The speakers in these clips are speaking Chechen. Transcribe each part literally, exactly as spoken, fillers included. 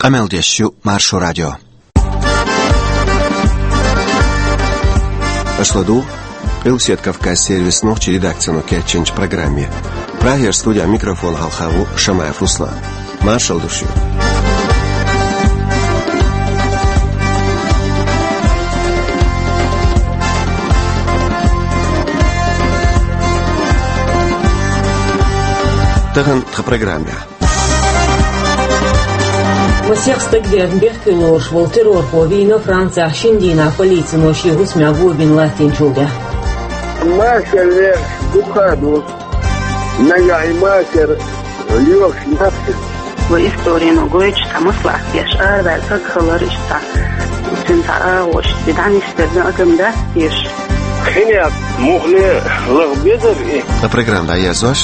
Къамел деш ю Маршо радио. Аша ладугӀу Къилбаседа Кавказ сервисан нохчийн редакцино кечйинчу программе. Прагера студехь микрофон хьалха ву Шамаев Руслан. Маршалла ду шуьга. Тахана тхан программехь. Масех стаг верна бехке лоруш волу террорхо вийна Францехь шина дийнахь полицино шен хӀусамехь го бина латтийначул тӀаьхьа. Маша леш дукха ду. Нагахь и машар лоьхуш нах. Вай историно гойтуш цхьа маслаӀат деш, араваьлла стаг хилар иштта. Цуьнан цхьа агӀош, и дӀанисбелла агам дац теша. Хинех мухле лаха безар и. Ткъа программа дӀаерзош.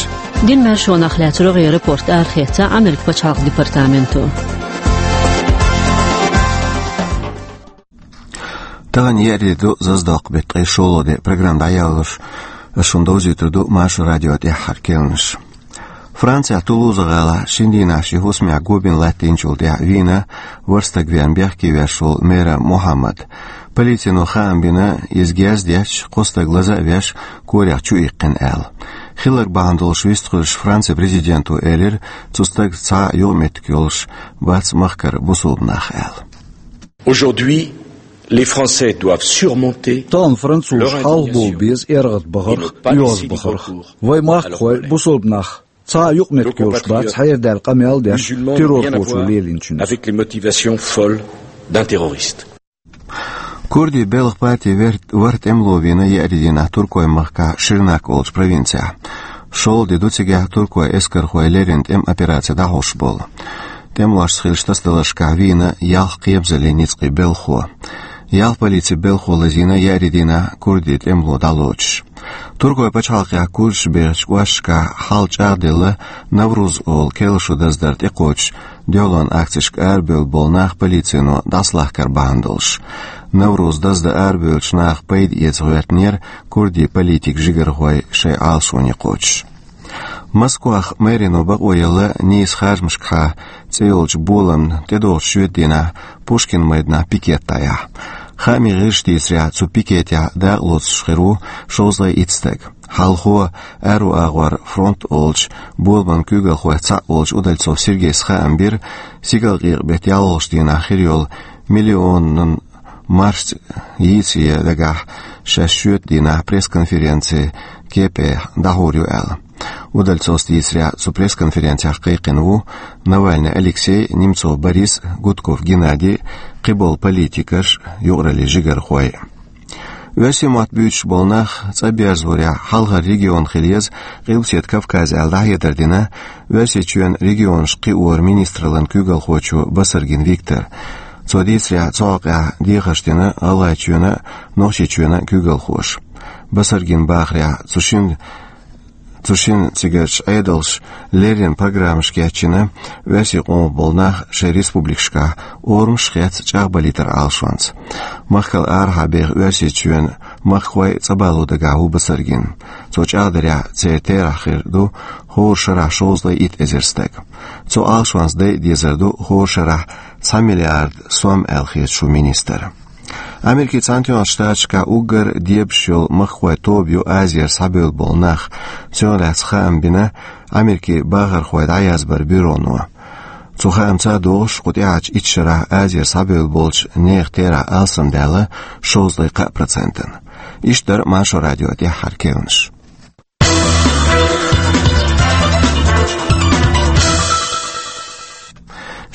Динан маьршонах лаьцна рогӀера рапорт арахецна Америкин пачхьалкхан департаменто. Тахана еарин де ду, Заздоккху беттан ткъе шолгӀа де. Программа дӀаялош, ас шуна довзуьйтур ду Маршо радион тӀаьххьара керланаш. Францехь Тулуза-гӀалахь шина дийнахь шен хӀусамехь го бина латтийначул тӀаьхьа вийна ворхӀ стаг верна бехке веш волу Мера Мухьаммад. Полицино хаам бина, иза герз детташ, кхо стаг лаза а веш, корех чу иккхина аьлла. Хилларг бахьана долуш вистхуьлуш Францин президенто элира, цу стага цхьа а юкъаметтиг йолуш бац махкара бусулба нах аьлла. Aujourd'hui, les Français doivent surmonter. Тахана французаш хьалха бовла беза эргӀадбахарх, оьгӀазбахарх. Вай махкахой, бусулба нах, цхьа а юкъаметтиг йолуш бац хьерадаьлла къамел деш террорхочо лелийначуьнца. Avec les motivations folles d'un terroriste. Курдийн белхан партин вер-, ворхӀ тӀемало вийна еарин дийнахь Туркойн махкахь Ширнак олучу провинцехь. ШолгӀа де ду цигахь туркойн эскархой леррина тӀеман операци дӀахьош болу. ТӀемалошца хиллачу тасадаларшкахь вийна ялх кхебазаллин ницкъийн белхахо. Ялх полицин белхахо лазийна еарин дийнахь курдийн тӀемало дӀалоцуш. Туркойн пачхьалкхехь курдаш бехачу кӀошташкахь хьал чӀагӀделла, Навруз олу керла шо даздар тӀекхочуш, дуьхьалонан акцешка арабевлла болу нах полицино дӀасалахкар бахьана долуш. Навруз даздан арабевллачу наха пайда эца гӀоьртинера курдийн политикийн жигархой шайн Ӏалашоне кхочуш. Москвахь мэрино бакъо елла нийса харжамашкахьа цӀе йолчу боламна тӀедогӀучу шоьтан дийнахь Пушкин майданахь пикет дӀаяхьа. Хаамийн гӀирсаша дийцарехь, цу пикетехь дакъа лоцуш хир ву шовзткъе итт стаг. Хьалхо, аьрру агӀор фронт олучу боламан куьйгалхойх цхьаъ волчу Удальцов Сергейс хаам бира, стигалкъекъа беттан ялхалгӀачу дийнахь хир йолу миллионан маршца йийцае дагахь шаьш шоьтан дийнахь пресс-конференци кепехь дӀахьур ю аьлла. Удальцовс дийцарехь, цу пресс-конференцехь кхайкхина ву Навальный Алексей, Немцов Борис, Гудков Геннадий, кхиболу политикаш, юкъараллин жигархой. Оьрсийн мотт буьйцуш болу нах цӀа берзорехь хьалхара регион хила еза Къилбаседа Кавказ аьлла дӀахьедар дина Оьрсийчоьнан регионашка кхиоран министраллан куьйгалхочо Басаргин Виктора. Цо дийцарехь, цу хьокъехь дехарш дина ГӀалгӀайчоьнан а, Нохчийчоьнан а куьйгалхоша. Басаргина бахарехь, цу шина Цу шина цигарчу Ӏедалша леррина программаш кечйина оьрсийн къомах болу нах шайн республикашкахь орамаш а хецна чӀагӀбалийтаран Ӏалашонца. Махкал арахьа беха Оьрсийчоьнан махкахой цӀа бало дагахь ву Басаргин. Цо чӀагӀдарехь, церан терахь хир ду хӀора шарахь шовзткъе итт эзар стаг. Цу Ӏалашонца дайа дезар ду хӀора шарахь цхьа миллиард сом аьлла хета шу министра. Америкин Цхьаьнатоьхначу Штаташкахь уггар дебаш йолу махкахойн тоба ю Азера схьабевлла болу нах. Цунах лаьцна хаам бина Америкин бахархой дӀаязбаран бюроно. Цу хаамца а догӀуш, кху тӀаьхьарчу итт шарахь Азера схьабевлла болчу нехан терахь алсамдаьлла шовзткъе кхаа процентана. Иштта дара Маршо радион тӀаьххьара керланаш.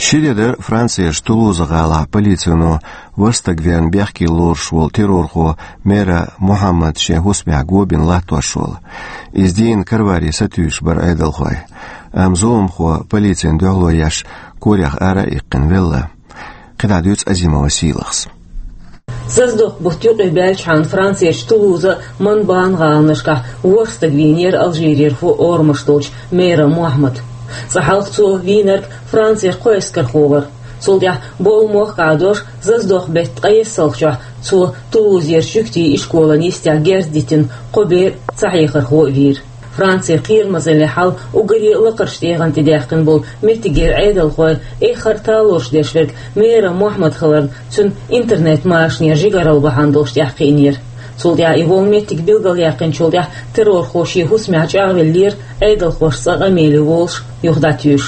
Ши де дара Францерчу Тулуза-гӀалахь полицино ворхӀ стаг верна бехке лоруш волу террорхо Мера Мухьаммад шен хӀусамехь го бина латтош волу. Иза дийна караварий сатуьйсуш бара Ӏедалхой. Амма зуламхо полицина дуьхьало еш корех ара а иккхина велла. КхидӀа дуьйцу Азимова Сийлахьас. Заздоккху бутт юкъе баьлчхьана Францерчу Тулуза, Монбан гӀаланашкахь ворхӀ стаг вийнера алжирерхо орамаш долчу Мера Мухьаммад. Цкъа хьалха цо вийнарг Францерчу кхо эскархо вара. Цул тӀаьхьа бовла мохк Ӏадош, Заздоккху беттан ткъе иссалгӀачохь цо Тулузерчу жуьгтийн ишколан йистехь герз дитина кхо бер цхьа хьехархо а вийра. Францин кхерамазаллин хьал уггаре а лакхарчу дегӀан тӀе даьккхина болу меттигера Ӏедалхой эххар а талораш деш верг Мера Мохьмад хиларна, цуьнан интернет-машанера жигаралла бахьана долуш тӀаьхьакхиънера. Цул тӀаьхьа и волу меттиг билгалъяьккхинчул тӀаьхьа террорхоша хӀусамехь чӀагӀвеллера, Ӏедалхоша цкъа къамеле волуш юха дӀатуьйсуш.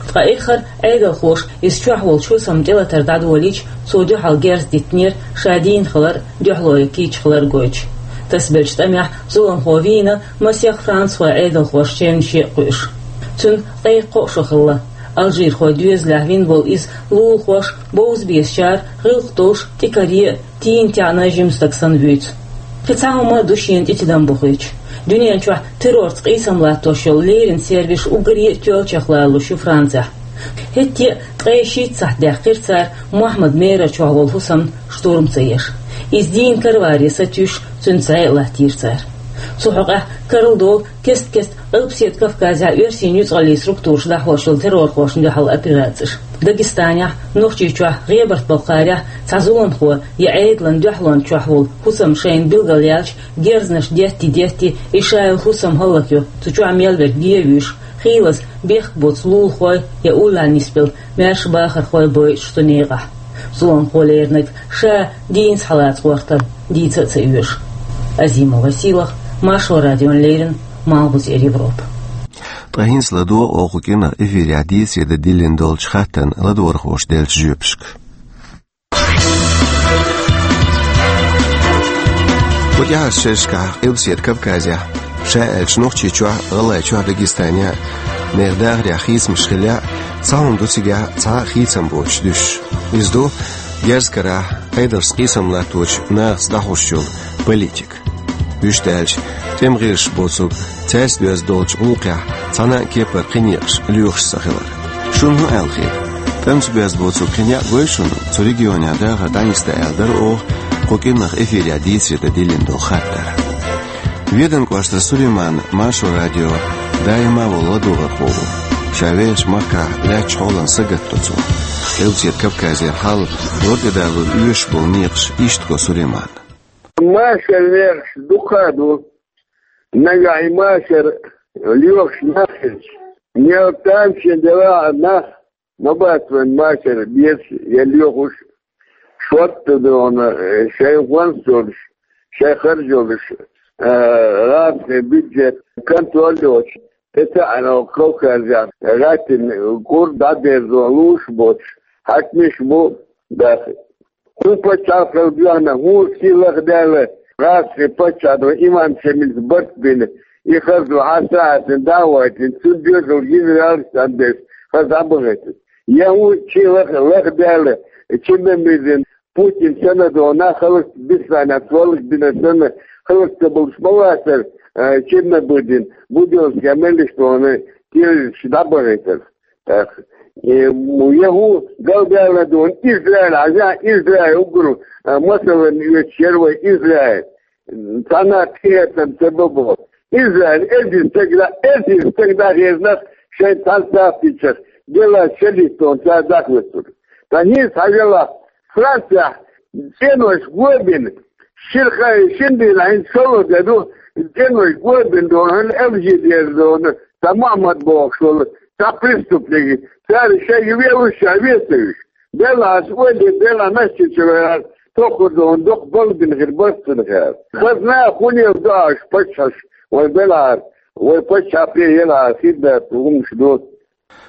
Ткъа эххар а Ӏедалхоша иза чохь волчу хӀусамна тӀелатар дӀадолийча, цо дуьхьал герз диттинера, ша дийна хилар а, дуьхьало кийча хилар а гойтуш. Тасабеллачу тӀамехь зуламхо вийна масех францхойн Ӏедалхошна чевнаш а кхуьуш. Цуьнан ткъе кхо шо хилла. Алжирхойн доьзалехь вина волу иза лулахоша, бовза безачара, гӀиллакх долуш, тӀе каре а, тийна-таьӀна жима стаг санна вуьйцу. Кхин цхьа хӀума а ду шена тӀе тидам бохуьйтуш. Дуьнен чохь террорца къийсам латтош йолу леррина сервисаш уггаре а тоьллачех лоруш ю Францехь. ХӀетте а ткъе шийтта сахьт даьккхира цара Мохьмад Мера чохь волу хӀусамна штурм ца еш. Иза дийна караваре сатуьйсуш, цуьнца зӀе а латтийра цара. Цу хьокъехь карла долу кест-кеста Къилбаседа Кавказехь оьрсийн нуьцкъаллийн структураш дӀахьош йолу террорхошна дуьхьал операцеш. Дагестанехь, Нохчийчохь, ГӀебарта-Балкхарехь цхьа зуламхо я Ӏедалан дуьхьалонна чохь волу хӀусам шайна билгалъяьлча, герзанаш детти-детти, и шайолу хӀусам хӀаллакйо, цу чохь мел верг гӀевуьйш, хийлаза бехк боцу лулахой я уллехь нисбелла маьрша бахархой бойтуш цу некъахь. Зуламхо леринарг ша дийнаца хьалаца гӀортар дийца а ца оьшу. Азима Василах, Маршо радиона леррина, Малхбузера Европа. Ткъа хӀинца ладогӀа оха кху кӀиранах эфирехь дийцаре дан диллина долчу хаттарна ладогӀархоша деллачу жоьпашка. Кху тӀаьхьарчу шерашкахь Къилбаседа Кавказехь, ша аьлча Нохчийчохь, ГӀалгӀайчохь, Дагестанехь а нехан дахарехь хийцамаш хиллехь а, цхьа хӀума ду цигахь цхьа а хийцам боцуш дуьсуш. Иза ду герз карахь, Ӏедалшца къийсам латточу нахаца дӀахьош йолу политика. Вуьшта аьлча, тӀеман гӀирсаша боцург цаьрца доьзна долчу гӀуллакхехь цхьана а кепара кхин некъаш лоьхуш ца хилар. Шуна хӀун аьлла хета? ТӀемца боьзна боцург кхин некъ гой шуна цу регионехь дахар дӀанисдан аьлла дара оха кху кӀиранах эфирехь дийцаре дан диллина долу хаттар. Веданан кӀоштара Сулейман Маршо радион даима а волу ладогӀархо ву. Ша вехачу махкахь лаьттачу хьолан сагатдо цо. Къилбаседа Кавказера хьал, лар тӀедалур оьшуш болу некъаш иштта го Сулейманна. Машар некъаш дукха а ду. Нагахь и машар лоьхуш нах хилча, мел тамашийна делахь а нах, ма бац вайн машар безаш я лоьхуш, шортта дона, э, шайн гӀонс йолуш, шайн харж йолуш, э, гӀазкхийн бюджет контроль йоцуш, тӀе ца Ӏаьна Кавказехь гӀаьттина кӀур дӀадерзо лууш боцуш хьаькамаш бу даха. ХӀун пачхьалкх хила доьгӀна, хӀун сий лахдаьлла, гӀазкхийн паччахьо Имам Шамилца барт бина, и хаза хьастагӀатна дӀа а вайтина, цуьнан доьзал генералаш а дӀадерза, хаза дӀабахийтина. Я хӀун сий лах-, лахдаьлла, Черномырдин, Путин санна дона, халкъ бисанна, цоллаг бина санна, халкъ ца болуш ма вацара, а, Черномырдин, Будёнская меллиша дона, террористаш дӀабахийтар. Э, м, я хӀун галдаьлла дона Израиль, хьажахь, Израиль уггар, э, масална оьцуш яра вай Израиль. Цхьанна а тӀехӀоьттина ца бо боху. Израиль эзар стаг да, эзар стаг да хезна шайн цхьана сахьтичах, делла шалиттон цара дахветтур. Ткъа хӀинца хьажалахь, Францехь цӀенойш го бина, шира ха-, шина дийнахь хӀинца шолгӀа де ду, цӀенойш го бина дона, хӀара Алжир дера дона, цхьа Мухьаммад бохуш волу, цхьа преступник, цара шайга велуш, ша вен ца вуьйш. Делахь аса ойла, делахь маьждиг чу веара, тоххар дона, доккха балла бина хир бац цунах аьлла. Хазна а хӀунел ду аша паччахьаш, вай белахьара, вай паччахье елахьара хир дац хӀуманаш ду.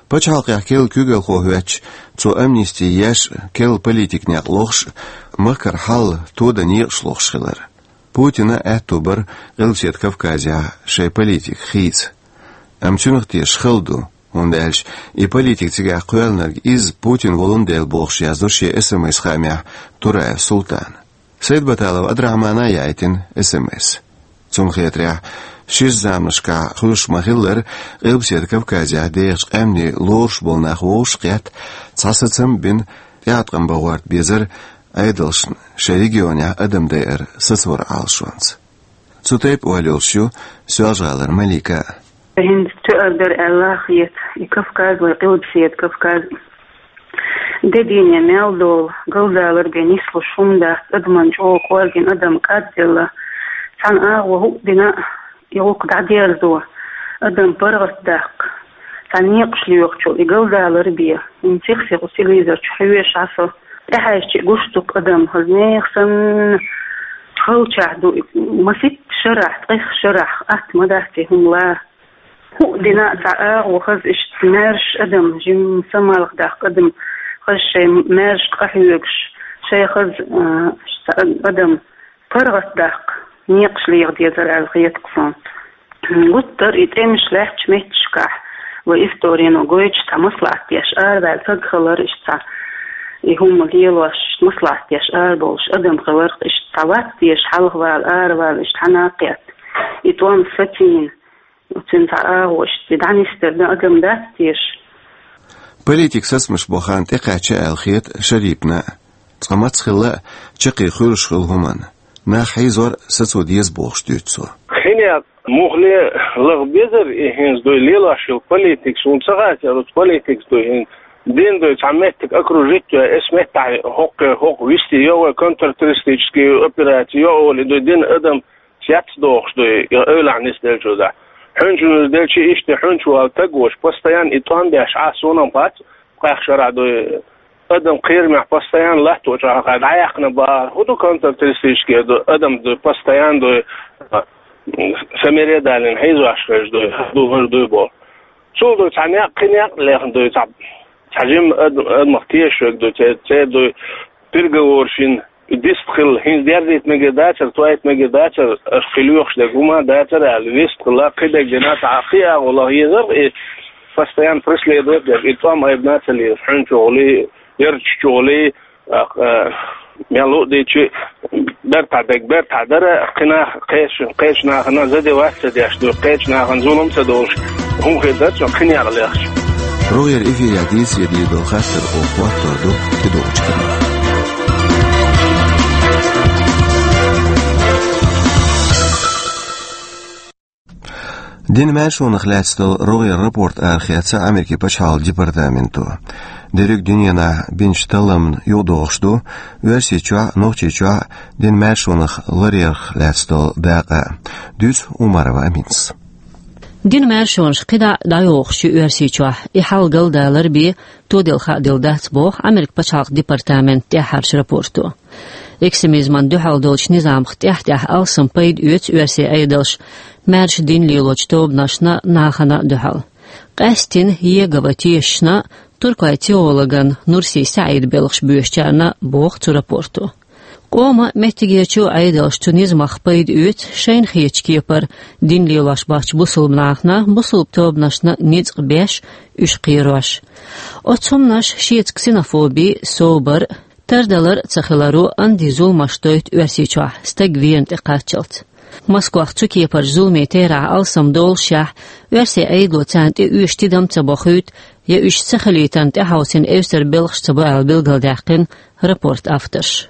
Пачхьалкхехь керла куьйгалхо хӀоьттича, цо амнисти еш а, керла политикан некъ лохуш а, махкара хьал тодан некъаш лохуш хилар. Путина аьтто бара Къилбаседа Кавказехь шайн политика хийца. Амма цуьнах тешаш хала ду, хӀунда аьлча и политика цигахь кхоьллинарг иза Путин волун дела бохуш яздо шен эс эм эс-хаамехь Тураев Султана. Сайдбаталов Абдрахьмана а яийтина эс эм эс. Цунна хетарехь, шира заманашкахь хуьлуш ма-хиллара, Къилбаседа Кавказехь дехачу къаьмнийн лоруш болу нах вовшах а кхетта, цхьа сацам а бина, тӀеӀаткъам бан гӀорта безара Ӏедалшна шайн регионехь адам дайар сацоран Ӏалашонца. Цу тайпа ойла йолуш ю Соьлжа-ГӀалара Малика а. ХӀинца тоьар дара аьлла хета и Кавказ вай Къилбаседа Кавказ. Де дийне мел долу, галдалар бен нислуш хӀума дац, адаман чӀогӀа кӀоргина адам кӀадделла. Цхьана агӀо хӀуъа дина, и гӀуллакх дӀадерзо. Адам паргӀатдаккха, цхьа некъаш лоьхучул и галдалар бе, хӀинца сиха телевизор чу хьоьжуш Ӏа со, тӀехьаьжча гуш ду-кх адам, хаза нехан санна, халчахь ду, масийтта шарахь, ткъех шарахь, атта ма дац и хӀума ла. ХӀуъа дина а цхьа агӀо хаза, иштта маьрша адам, жимма самалха даккха адам, хаза шоай маьршка къахьоьгуш, шоай хаза, а, иштта адам паргӀатдаккха некъаш леха дезар аьлла хет-кх сона. Гуттар а и тӀемаш лаьттачу метташкахь, вай исторено гойтуш, цхьа маслаӀат деш араваьлла саг хилар, иштта цхьа и хӀума лелош, маслаӀат деш арабовлуш адам хилар, иштта цхьа вац теша хьалхавала, аравала, иштта хьанна а кхетта. И тӀом сацийна, цуьнан цхьа агӀо, иштта дӀанисдар дан адам дац теша. Политика сацамаш бу хан тӀекхаьчча аьлла хета Шарипна а. Цкъа маца хилла а, чаккхе хуьлуш хилла хӀуманна нах хьийзор сацо деза бохуш дуьйцу цо. ХӀинца муххале лаха безар и хӀинца дуй лелош йолу политика, суна ца хаьттара, оцу политикас дуй хӀинца дин дуй цхьа меттиг окружить йой, эс меттахь хӀокху, хӀокху висте йо вай контртеррористический операци йо олий дуй дин адам цецдохуш дуй, и эвлахь нисделчул тӀаьхьа. Хьуьнчу нисделчи иштта хьуьнчу вала таг вош, постоянно и тӀом беш Ӏа суна-м хац, ткъех шарахь дуй адам кхерамехь постоянно латто чӀогӀа хьаькхна бахара. ХӀун ду контртеррористический ду, адам дуй постоянно дуй, а, самаре далийна хьийзош хезаш дуй, ду хӀума дуй боху. Цул дуй цхьа некъ, кхин некъ лехна дуй, цхьа, цхьа жимма ад-, адамах тешаш верг дуй, церан, церан дуй переговораш йина, и дистхила, хӀинца дерзийта мегар дацара, тоьйта мегар дацара, аша кхин лоьхуш дерг хӀума дацара аьлла, вистхила, кхин дерг дина, цхьа кхин агӀо лаха езар, и постоянно преследовать деш, и тӀом айбина ца лезаш, хьуьнчухула, ярташчухула, а, а, мел луъдийчи, бертахь дерг бертахь дара, кхин нах, кхечу, кхечу нахана задевать ца деш дуй, кхечу нахана зулам ца долуш, хӀума хир дара цунна кхин некъ лехча. РогӀера эфирехь дийцаре дийр долу хаттар оха хӀоттор ду тӀедогӀучу кехатехь. Динан маьршонах лаьцна долу рогӀера рапорт арахецна Америкин пачхьалкхан департаменто. Дерриг дуьненахь бинчу талламна юкъадогӀуш ду Оьрсийчохь а, Нохчийчохь а динан маьршонах ларъярх лаьцна долу дакъа. Дуьйцу Умарова Аминас. Динан маьршонаш кхидӀа а дӀайохуш ю Оьрсийчохь, и хьал галдалар бен тоделла хааделла дац, боху Америкин пачхьалкхан департаментан тӀаьххьарчу рапорто. Экстремизмана дуьхьал долчу низамах тӀаьхь-тӀаьхьа алсам пайда оьцу оьрсийн Ӏедалша маьрша дин лелочу тобанашна, нахана а дуьхьал. Къаьсттина Иегова тешашна, туркойн теологана Нурси СаӀидан белхаш боьшучарна, боху цу рапорто. Къоман а, меттигерчу а Ӏедалша цу низамах пайда оьцу шайна хетачу кепара дин лелош бахча бусулба нахана, бусулба тобанашна ницкъ беш, уьш кхерош. Оцу хӀуманаша шеца ксенофоби, собар, тардалар а ца хиларо андин зуламаш дойту Оьрсийчохь стаг верна тӀе кхаччалц. Москвахь цу кепарчу зуламийн терахь алсам доллушехь, оьрсийн Ӏедало царна тӀе оьшу тидам ца бохуьйту, я уьш ца хилийтарна тӀехьовсийна эвсара белхаш ца бо аьлла билгалдаьккхина рапортан авторша.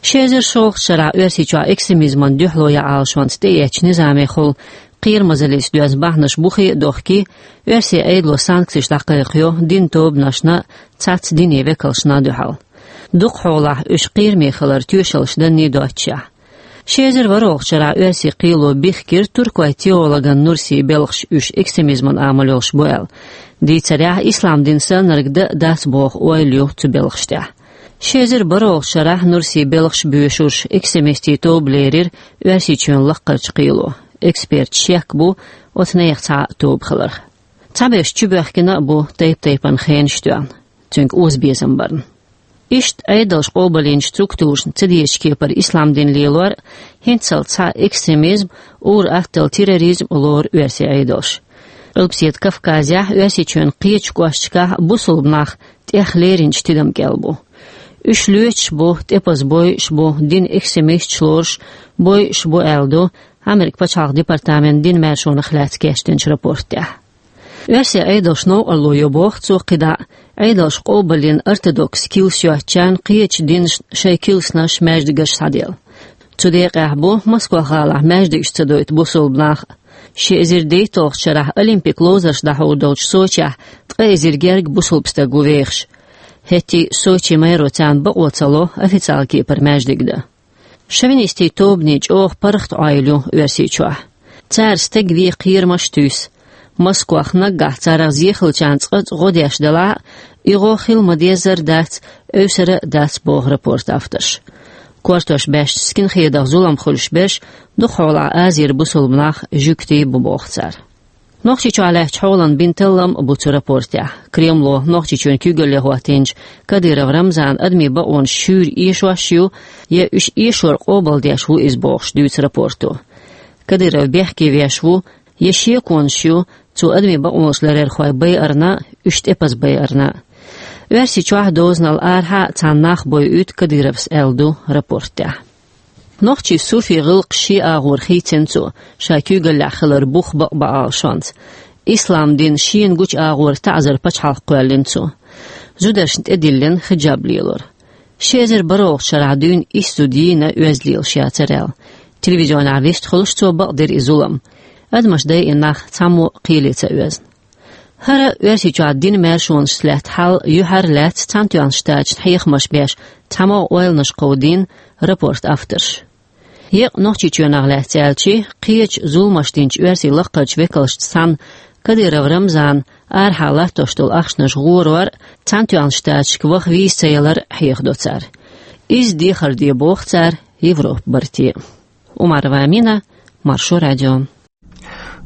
Ши эзар шолгӀачу шарахь Оьрсийчохь экстремизмана дуьхьало ян Ӏалашонца тӀеэцначу низамехула кхерамазаллица доьзна бахьанаш бухе а дохкий, оьрсийн Ӏедало санкцеш дӀакхайкхайо динан тобанашна, цхьацца динан векалшна дуьхьал. Дукхахьолахь уьш кхераме хиларан тоьшаллаш данний доццушехь. Ши эзар ворхӀалгӀачу шарахь оьрсийн кхело бехкира туркойн теологана Нурсин белхаш, уьш экстремизман амал йолуш бу аьлла. Дийцарехь, ислам дин саннарг дан а дац боху ойла ю цу белхаш тӀехь. Ши эзар бархӀалгӀачу шарахь Нурсин белхаш боьшурш экстремистийн тоба лерира Оьрсийчоьнан лаккхарчу кхело. Эксперташа шек бу оцу нехан цхьа а тоба хиларх. Цхьаберш чубоьхкина а бу тайп-тайпана хенаш тоьхна, цуьнга озабезам барна. Иштта Ӏедалша къобалйинчу структурашна ца дезачу кепара ислам дин лелор а, хӀинццалц цхьа экстремизм, ур-атталла терроризм лору оьрсийн Ӏедалша. Къилбаседа Кавказехь, Оьрсийчоьнан кхечу кӀошташкахь бусулба нах тӀех леринчу тидам кӀел бу. Уьш лоьцуш бу, тӀепаза бойуш бу, динан экстремисташ лоруш бойуш бу аьлла ду Америкин пачхьалкхан департаментан динан маьршонах лаьцна кечдинчу рапорт тӀехь. Оьрсийн Ӏедалша новкъарло йо боху цо кхидӀа а, Ӏедалша къобалйина ортодокс килс йоцучарна кхечу динашна шайн килснаш, маьждигаш схьаделла. Цу декъехь бу Москва-гӀалахь маьждигаш ца дойту бусулба нах а. Ши эзар дейтталгӀачу шарахь Олимпик ловзарш дӀахьур долчу Сочехь ткъа эзар гергга бусулба стаг ву вехаш. ХӀетте а Сочи мэро царна бакъо ца ло официалан кепара маьждиг дан. Шовинистийн тобанийн чӀогӀа паргӀат Ӏойла ю Оьрсийчохь. Цара стаг вен кхерамаш туьйсу. Москвахь наггахь царах зе хиллачарна цкъа а гӀо деш делахь а, и гӀо хила ма-деззара дац, эвсара а дац, боху рапортан авторша. Кортош баьшначу скинхедах зулам хуьлуш берш дукхахьолахь Азера бусалба нах, жуьгтий бу, боху цара. Нохчийчохь лаьттачу хьолан бина таллам а бу цу рапортехь. Кремло Нохчийчоьнан куьйгалле хӀоттийначу Кадыров Рамзанан адамийн бакъонаш шуьйра эшош ю, я уьш эшор къобалдеш ву иза, бохуш дуьйцу рапорто. Кадыров бехке веш ву, я шеконаш ю цу адамийн бакъонаш ларъярхойн байарна а, уьш тӀепаза байарна а. Оьрсийчохь а, дозанал арахьа а цхьана нах бойуьйту Кадыровс, аьлла ду рапортехь. Нохчийн суфий гӀиллакхаш шен агӀор хийцина цо, ша куьйгаллехь хилар бух бакъ бан Ӏалашонца. Ислам дин шена гучу агӀор таӀзар пачхьалкх кхоьллина цо. Зударшна тӀедиллина хиджаб лелор. Ши эзар бархӀалгӀачу шарахь дуьйна исс зуда йийна оьзда лелаш яцара аьлла. Телевизионехь вистхуьлуш цо бакъдира и зулам. Адамаш дайина нах цхьаммо а кхеле ца оьзна. ХӀара Оьрсийчохь динан маьршонашца лаьтта хьал юьхьар лаьцна Цхьаьнатоьхначу Штаташна хьехамаш беш цхьамогӀа ойланаш кховдийна рапортан авторша. Еккъа Нохчийчоьнах лаьцна аьлча, кхечу зуламаш динчу оьрсийн лаккхарчу векалшца цхьаьна Кадыров Рамзана арахьа латтош долу ахчанаш гӀорор а, Цхьаьнатоьхначу Штаташка ваха виза ца ялар а хьехадо цара. Иза дехар де боху цара Европа барте. Умарова Амина, Маршо радио.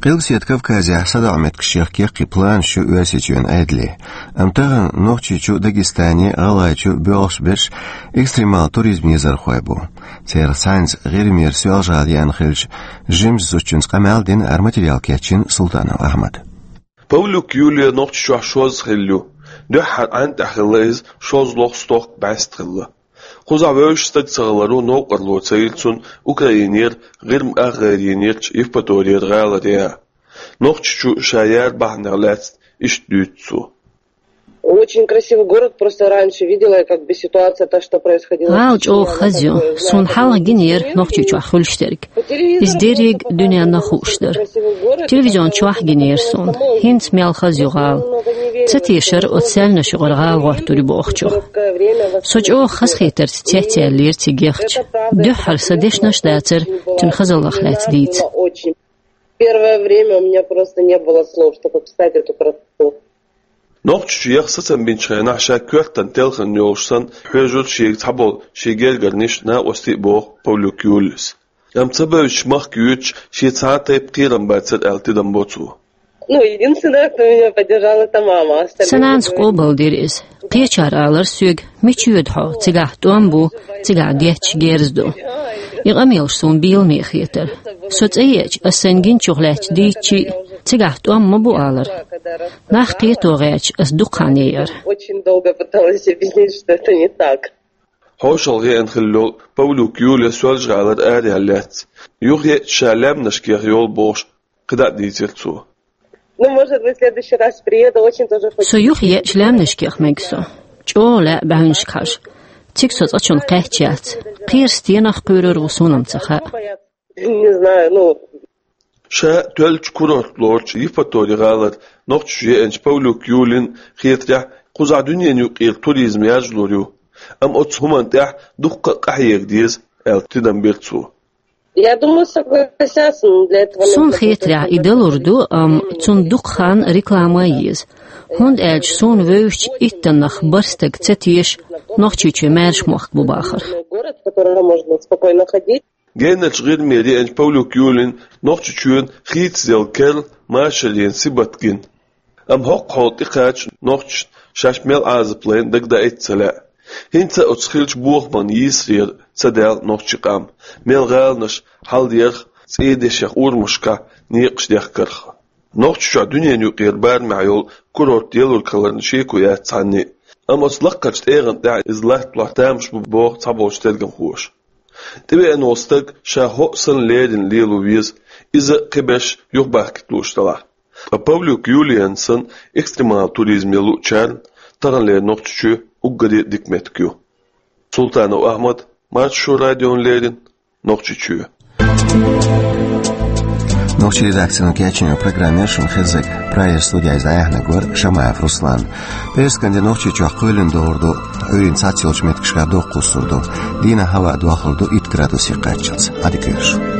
Къилбаседа Кавказехь садоӀу меттигашкахь кхин планаш ю Оьрсийчоьнан Ӏедалан. Амма тахана Нохчийчу, Дагестане, ГӀалгӀайчу боьлхуш берш экстремал туризман езархой бу. Церан цхьаьнца ГӀирмера Соьлжа-ГӀала еана хиллачу жимачу зудчуьнца къамел дина, хӀара материал кечйина Султанов Ахьмада. Павлюк Юлия Нохчийчохь шозза хилла ю. Дуьххьара Ӏаьнан тӀехь хилла иза, шозлагӀа, стохка бӀаьста хилла. Кхузахь вевзаш стаг ца хиларо новкъарло ца йилла цунна Украинера, ГӀирма ах гӀайра йинерчу Евпаторера гӀалара яха. Нохчийчу ша яра бахьанех лаьцна иштта дуьйцу цо. Очень красивый город, просто раньше видела я, как бы, ситуация, то, что происходило в ГӀала Чечне, чӀогӀа она хаза ю. Как бы, суна хьалха гинера Нохчийчохь хуьлуш дерг. Иза дерриг дуьненна хууш дара. Телевизион чохь гинера суна. ХӀинца мел хаза ю гӀала. Ца тешара оцу саьлнаш юкъара гӀала гӀоттур ю бохучух. Со чӀогӀа хазахетарца цецъяьллера цига яхча. Дуьххьара сан дешнаш дацара цуьнан хазаллах лаьцна дийца. Первое время у меня просто не было слов, чтобы описать эту красоту. Нохчийчу яха сацам бинчу хенахь ша коьртана телхина йолуш санна хьоьжура шега цхьаболу шен гергарниш а, накъостий а, боху Павлюк Юлияс. Амма ца бевзачу махка йоьдуш шен цхьа а тайпа кхерам бацара аьлла тидам бо цо. Ну, единственное, кто меня поддержал, это мама. Сан нанас къобалдира иза. Кхечара алара соьга: «Мича йоьду хьо? Цигахь тӀом бу, цигахь детташ герз ду». И къамелаш суна бийламе хетара. Со цӀа еача, ас сайн гинчух лаьтташ дийцча а, цигахь тӀом ма бу алара. Нах кхето гӀерташ ас дукха хан яра. Очень долго пыталась объяснить, что это не так. ХӀошалгӀа еана хилла йолу Павлюк Юлия Соьлжа-ГӀалара араяьлла лаьцна. Юхаеача ша лаьмнашкех йолу бохуш, кхидӀа а дийцира цо. Ну, может быть, в следующий раз приеду, очень тоже хочу. Со юхаеача лаьмнашкех мега со. ЧӀогӀа лаьа баьхьуьнашка хьажа. Цига со цкъачунна кхаьчча яц. Кхера стенах кхуьйрур ву, суна-м ца хаьа. Не знаю, ну. Ша тоьллачу курорт лоручу Евпатори-гӀалара Нохчийчу еанчу Павлюк Юлина хетарехь, кхузахь дуьненан юкъара туризм яржалур ю. Амма оцу хӀуманна тӀехь дуккха а къахьега деза, аьлла тидам бира цо. Я думаю, согласятся, но для этого нужно... Суна хетарехь, и далур ду, амма цунна дукха хан, реклама а еза. ХӀунда аьлча суна вевзачу иттаннах бархӀ стаг ца теша Нохчийчоь маьрша мохк бу бахара. Город, в который можно спокойно ходить. Генарчу ГӀирмера еанчу Павлюк Юлина Нохчийчоьнан хийцаделла керла машарийн сибат гина. Амма хӀокху хьоле тӀекхача нохчашна шаьш мел Ӏазап лайна дагадаийта ца лаьа. ХӀинца а оцу хиллачу бохаман йийсарера ца даьлла нохчийн къам, мел гӀаланаш хьалдерах, цӀийдешех урамашкахь некъаш дехкарх. Нохчийчохь дуьненан юкъара барамехь йолу курорт ялург хиларна шеко яц цхьанне а. Амма оцу лаккхарчу тӀегӀан тӀехь иза латталахь тамаш бу, боху цхьаболчу тергамхоша. ТӀевеана волу стаг ша хӀоъ санна леррина лело веза, иза а, кхиберш а юхабахкийта лууш делахь. Ткъа Павлюк Юлиана санна экстремал туризм ян луучарна таханлера Нохчийчоь уггаре а дика меттиг ю. Султанов Ахьмад, Маршо радиона леррина, Нохчийчоь. Нохчийн редакцино кечйинчу программе шуна хезнарг. Прагера студехь иза дӀаяьхьнарг вара Шамаев Руслан. Пхьарскан де Нохчийчохь кхоьлина догӀур ду, Ӏуьйранна цхьацца йолчу меттигашкахь дукха кхуссур ду. Дийнахь хӀаваъ дохлур ду итт градусе кхаччалц. Ӏадика йойла шун.